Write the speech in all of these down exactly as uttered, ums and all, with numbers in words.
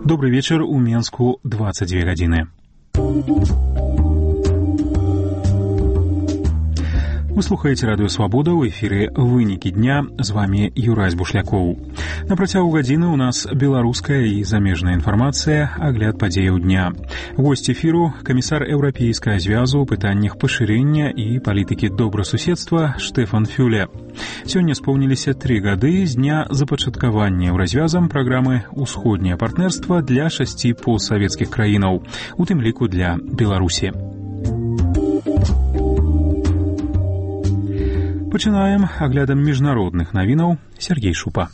Добрый вечер, у Менску двадцать две гадзіны. Вы слухаеце радыё Свабода, ў эфіры «Вынікі дня», з вами Юрась Бушлякоў. На працягу гадзіны у нас беларуская і замежная інфармацыя, агляд падзеяў дня. Госць эфіру – камісар Еўрапейскага звязу ў пытаннях пашырэння і палітыкі добрасуседства Штефан Фюле. Сёння споўніліся тры гады з дня запачаткавання еўразвязам праграмы «Усходняе партнерства» для шасці постсавецкіх краінаў, у тым ліку для Беларусі. Пачынаем аглядам міжнародных навінаў. Сергей Шупа.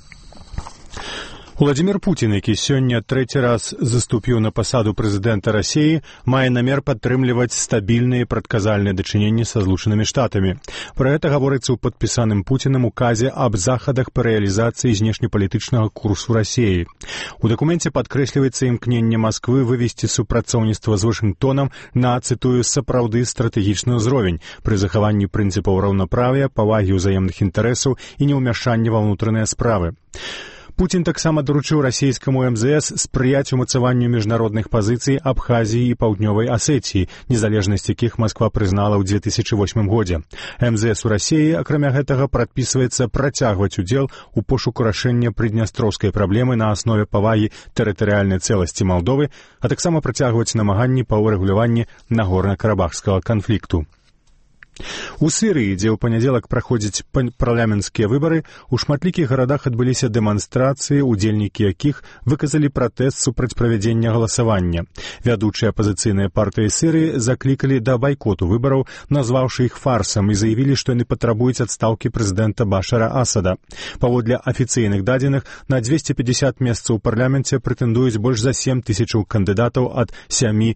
Владимир Путин, які сёння трэці раз заступіў на пасаду прэзідэнта Расіі, мае намер падтрымліваць стабільныя і прадказальныя дачыненні са Злучанымі Штатамі. Пра гэта гаворыцца ў падпісаным Пуцінам указе аб захадах па рэалізацыі знешнепалітычнага курсу Расіі. У дакуменце падкрэсліваецца імкненне Масквы вывесці супрацоўніцтва з Вашынгтонам на, цытую, сапраўды стратэгічны ўзровень пры захаванні прынцыпаў раўнаправія, павагі ўзаемных інтарэсаў і неўмяшання ва ўнутраныя справы. Путін таксама даручыў расійскаму эм зэ эс спрыяць умацаванню міжнародных пазіцый Абхазіі і Паўднёвай Асетіі, незалежнасць якіх Масква прызнала ў дзве тысячы восьмым годзе. эм зэ эс у Расіі, акрамя гэтага, прадпісваецца працягваць удзел у пошуку рашэння прыднястроўскай праблемы на аснове павагі тэрытарыяльнай цэласці Малдовы, а таксама працягваць намаганні па ўрэгуляванні нагорна-карабахскага канфлікту. У Сірыі, дзе ў панядзелак праходзяць парламенцкія выбары, у шматлікіх гарадах адбыліся дэманстрацыі, удзельнікі якіх выказалі пратэст супраць правядзення галасавання. Вядучыя апазіцыйныя партыі Сірыі заклікалі да байкоту выбараў, назваўшы іх фарсам, і заявілі, што яны патрабуюць адстаўкі прэзідэнта Башара Асада. Паводле афіцыйных дадзеных, на дзвесце пятьдесят месцаў у парламенце прэтэндуюць больш за сем тысячаў кандыдатаў ад сямі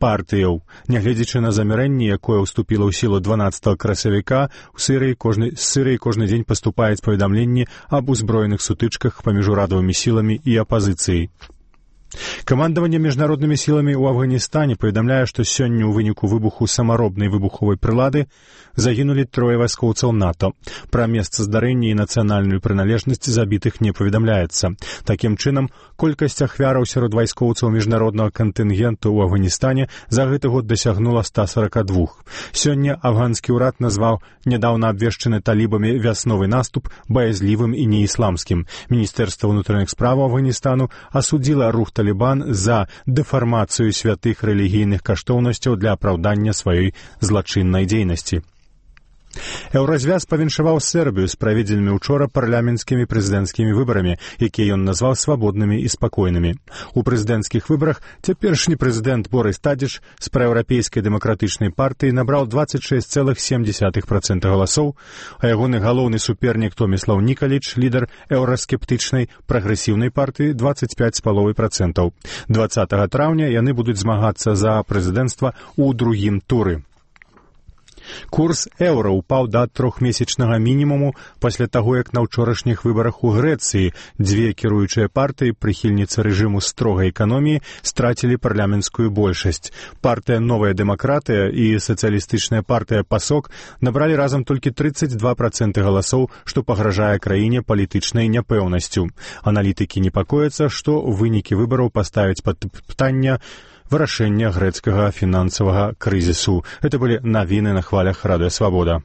партыяў. Нягледзячы на замірэнне, якое ўступіла ў сілу дванаццатага красавіка, у Сірыі кожны, з Сірыі кожны дзень паступаюць паведамленні аб узброеных сутычках паміж урадавымі сіламі і апазіцыяй. Камандаванне міжнароднымі сіламі ў Афганістане паведамляе, што сёння ў выніку выбуху самаробнай выбуховай прылады загінулі трое вайскоўцаў НАТО. Пра месца здарэння і нацыянальную прыналежнасць забітых не паведамляецца. Такім чынам, колькасць ахвяраў сярод вайскоўцаў міжнароднага кантынгенту ў Афганістане за гэты год дасягнула ста сорока двух. Сёння афганскі ўрад назваў нядаўна абвешчаны талібамі вясновы наступ баязлівым і неісламскім. Міністэрства ўнутраных справаў Афганістану асудзіла рух Талібан за дэфармацыю святых рэлігійных каштоўнасцяў для апраўдання сваёй злачыннай дзейнасці. Еўразвяз павіншаваў Сербію з праведзенымі учора парламенцкімі прэзідэнцкімі выбарамі, якія ён назваў свабоднымі і спакойнымі. У прэзідэнцкіх выбарах цяперашні прэзідэнт Борис Тадзіч з праеўрапейскай дэмакратычнай партыі набраў двадцать шесть целых семь десятых процента галасоў, а ягоны галоўны супернік Томіслаў Нікаліч, лідар еўраскептычнай прагрэсіўнай партыі, двадцать пять з паловай процентаў. дваццатага траўня яны будуць змагацца за прэзідэнцтва ў другім туры. Курс еўра ўпаў да трохмесячнага мінімуму пасля таго, як на ўчорашніх выбарах у Грэцыі дзве кіруючыя партыі, прыхільніцы рэжыму строгай эканоміі, страцілі парламенцкую большасць. Партыя «Новая дэмакратыя» і сацыялістычная партыя «Пасок» набралі разам толькі тридцать два процента галасоў, што пагражае краіне палітычнай няпэўнасцю. Аналітыкі непакояцца, што вынікі выбараў паставяць пад пытанне вырашэння грэцкага фінансавага крызісу. Это былі навіны на хвалях Радыё Свабода.